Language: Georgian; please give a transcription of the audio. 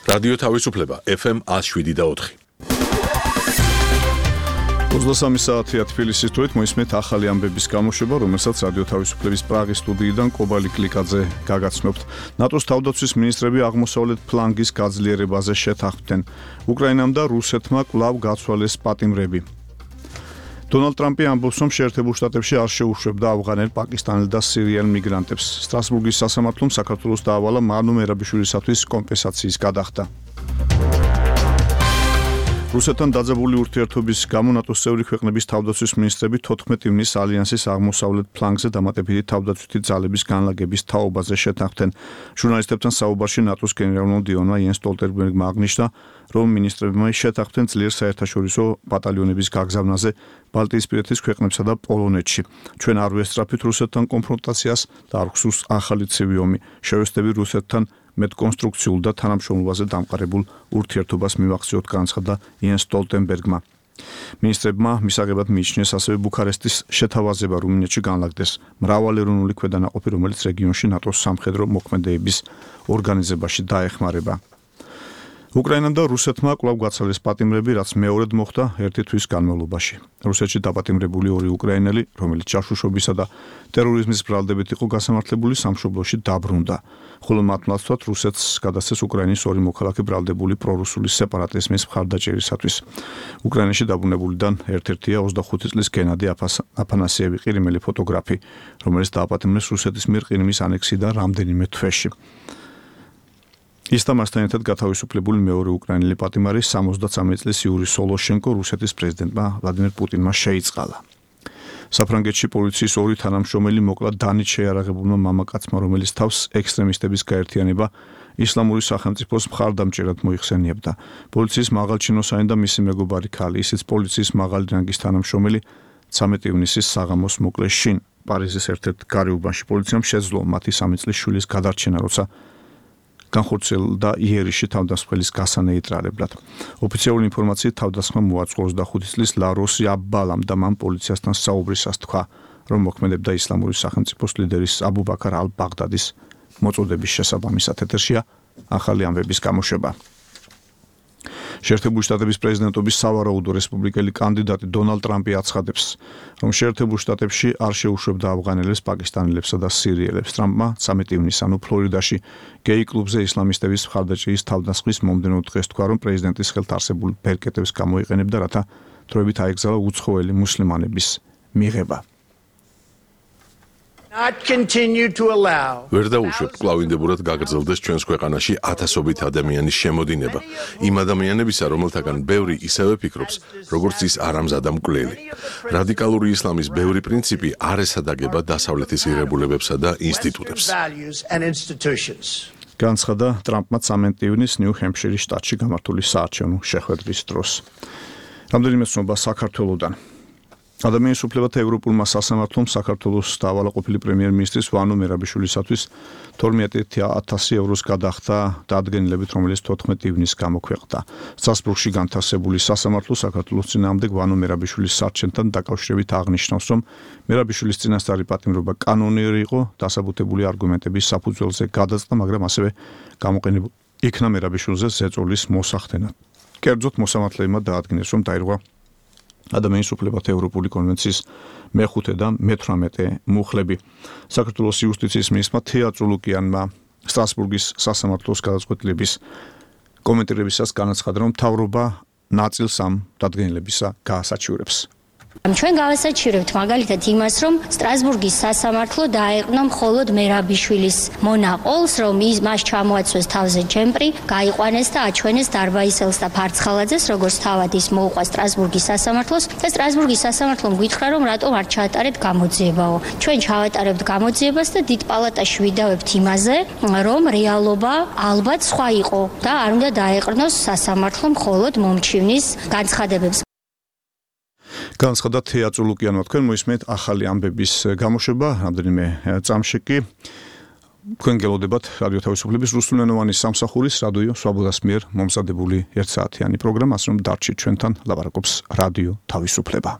რადიო თავისუფლება FM 107.4. 23 საათია თბილისის თვით მოისმენთ ახალი ამბების გამოშვება, რომელსაც რადიო თავისუფლების პრაღის სტუდიიდან კობალი კლიკაძე გაგაცნობთ. ნატოს თავდაცვის მინისტრები აღმოსავლეთ ფლანგის გაძლიერებაზე შეთანხმდნენ. უკრაინამ და რუსეთმა კვლავ გაცვალეს პატიმრები. დონალდ ტრამპი ამბობს, რომ შეერთებულ შტატებში არ შეუშვებდა ავღანელ, პაკისტანელ და სირიელ მიგრანტებს. სტრასბურგის სასამართლომ საქართველოს დაავალა მანუ მერაბიშვილისათვის კომპენსაციის გადახდა. რუსეთთან დაძაბული ურთიერთობის გამო ნატოს წევრი ქვეყნების თავდაცვის მინისტრები 14 ივნისს ალიანსის აღმოსავლეთ ფლანგზე დამატებითი თავდაცვითი ძალების განლაგების თაობაზე შეთანხმდნენ. ჟურნალისტებთან საუბარში ნატოს გენერალ-მდივანმა იენს სტოლტენბერგმა აღნიშნა, რომ მინისტრებმა შეთანხმდნენ ძლიერ საერთაშორისო ბატალიონების გაგზავნაზე ბალტიისპირეთის ქვეყნებსა და პოლონეთში. ჩვენ არ ვესწრაფით რუსეთთან კონფრონტაციას და არ გვსურს ახალი ცივი ომი. შევესწრები რუსეთთან მეტკონსტრუქციულ და თანამშრომლობაზე დამყარებულ ურთიერთობას მივახციოთ, განცხადა იენს სტოლტენბერგმა. მინისტრებმა მისაღებად მიიჩნიეს ასევე ბუქარესტის შეთავაზება რუმინეთში განლაგდეს მრავალეროვნული ქვედანაყოფი, რომელიც რეგიონში ნატოს სამხედრო მოქმედებების ორგანიზებაში დაეხმარება. უკრაინამ და რუსეთმა კვლავ გაცვალეს პატიმრები, რაც მეორედ მოხდა ერთი თვის განმავლობაში. რუსეთში დაპატიმრებული ორი უკრაინელი, რომელიც ჯაშუშობისა და ტერორიზმის ბრალდებით იყო გასამართლებული, სამშობლოში დაბრუნდა. ხოლო მათ ნაცვლად რუსეთს გადასცეს უკრაინის ორი მოქალაქე ბრალდებული პრორუსული სეპარატიზმის მხარდაჭერისათვის. უკრაინაში დაბრუნებულიდან ერთ-ერთია 25 წლის გენადი აფანასიევი, ყირიმელი ფოტოგრაფი, რომელიც დააპატიმრეს რუსეთის მიერ ყირიმის ანექსიიდან რამდენიმე თვეში. ის და მასთან ერთად გათავისუფლებული მეორე უკრაინელი პატიმარი 73 წლის იური სოლოშენკო რუსეთის პრეზიდენტმა ვლადიმერ პუტინმა შეიწყალა. საფრანგეთში პოლიციის ორი თანამშრომელი მოკლა დანით შეიარაღებულმა მამაკაცმა, რომელიც თავს ექსტრემისტების გაერთიანება ისლამური სახელმწიფოს მხარდამჭერად მოიხსენიებდა. პოლიციის მაღალჩინოსანი და მისი მეგობარი ქალი, ისიც პოლიციის მაღალი რანგის თანამშრომელი 13 ივნისის საღამოს მოკლეს შინ პარიზის ერთ-ერთ გარეუბანში. პოლიციამ შეძლო მათი 3 წლის შვილის გადარჩენა, როცა განხორციელდა იერიში თავდამსხმელის გასანეიტრალებლად. ოფიციალური ინფორმაციით თავდასხმა მოაწყო 25 წლის ლაროსი აბბალამ და მან პოლიციასთან საუბრისას თქვა, რომ მოქმედებდა ისლამური სახელმწიფოს ლიდერის აბუ ბაქარ ალ-ბაღდადის მოწოდების შესაბამისად. ეთერშია ახალი ამბების გამოშვება. შეერთებული შტატების პრეზიდენტობის სავარაუდო რესპუბლიკელი კანდიდატი დონალდ ტრამპი აცხადებს, რომ შეერთებულ შტატებში არ შეუშვებდა ავღანელებს, პაკისტანელებსა და სირიელებს. ტრამპმა 13 ივნისს ფლორიდაში გეი კლუბზე ისლამისტების მხარდაჭერის თავდასხმის მომდევნო დღეს თქვა, რომ პრეზიდენტის ხელთ არსებულ ბერკეტებს გამოიყენებდა, რათა დროებით აეგზალა უცხოელი მუსლიმანების მიღება. ვერ დაუშვებთ კლავინდებურად გაგრძელდეს ჩვენს ქვეყანაში ათასობით ადამიანის შემოდინება. იმ ადამიანებისა, რომელთაგან ბევრი ისევე ფიქრობს, როგორც ის არამზადა მკვლელი. რადიკალური ისლამის ბევრი პრინციპი არ ესადაგება დასავლეთის ღირებულებებსა და ინსტიტუტებს. განცხადა ტრამპმა 13 ივნისს ნიუ-ჰემფშირის შტატში გამართული საარჩევნო შეხვედრის დროს. რამდენიმე ცნობა საქართველოდან. ადამიანის უფლებათა ევროპულმა სასამართლომ საქართველოს დაავალაყოფილი პრემიერ-მინისტრის ვანო მერაბიშვილისათვის 12,000 ევროს გადახდა დადგენილებით, რომელიც 14 ივნისს გამოქვეყნდა. სტრასბურგში განთავსებული სასამართლო საქართველოს წინააღმდეგ ვანო მერაბიშვილის სარჩენთან დაკავშირებით აღნიშნავს, რომ მერაბიშვილის წინასწარი პატიმრობა კანონიერი იყო, დასაბუთებული არგუმენტების საფუძველზე გადაწყდა, მაგრამ ასევე გამოყენებულ იქნა მერაბიშვილზე ზეწოლის მოსახდენად. კერძოდ მოსამართლეებმა დაადგინეს, რომ დაირღვა ადამიანის უფლებათა ევროპული კონვენციის მე-5 და მე-18 მუხლები. საქართველოს იუსტიციის მინისტრმა თეა წულუკიანმა სტრასბურგის სასამართლოს გადაწყვეტილების კომენტირებისას განაცხადა, რომ მთავრობა ნაწილს ამ დადგენილებისა გაასაჩივრებს. ჩვენ გავასაჩივრებთ მაგალითად იმას, რომ სტრასბურგის სასამართლო დაეყრდნო მხოლოდ მერაბიშვილის მონაყოლს, რომ მას ჩამოაცვეს თავზე ჯემპრი, გაიყვანეს და აჩვენეს დარბაისელს და ფარცხალაძეს, როგორც თავად ის მოუყვა სტრასბურგის სასამართლოს და სტრასბურგის სასამართლომ გითხრა, რომ რატომ არ ჩაატარებთ გამოძიებაო. ჩვენ ჩავატარებთ გამოძიებას და დიდ პალატაში ვიდავებთ იმაზე, რომ რეალობა ალბათ სხვა იყო და არ უნდა დაეყრდნოს სასამართლო მხოლოდ მომჩივნის განცხადებებს. განცხადა თეა წულუკიანმა. თქვენ მოისმენთ ახალი ამბების გამოშვება, რამდენიმე წამში კი თქვენ გელოდებათ რადიო თავისუფლების რუსულენოვანი სამსახურის რადიო სვაბოდას მიერ მომზადებული 1 საათიანი პროგრამა, ასე რომ დარჩით ჩვენთან, ლაპარაკობს რადიო თავისუფლება.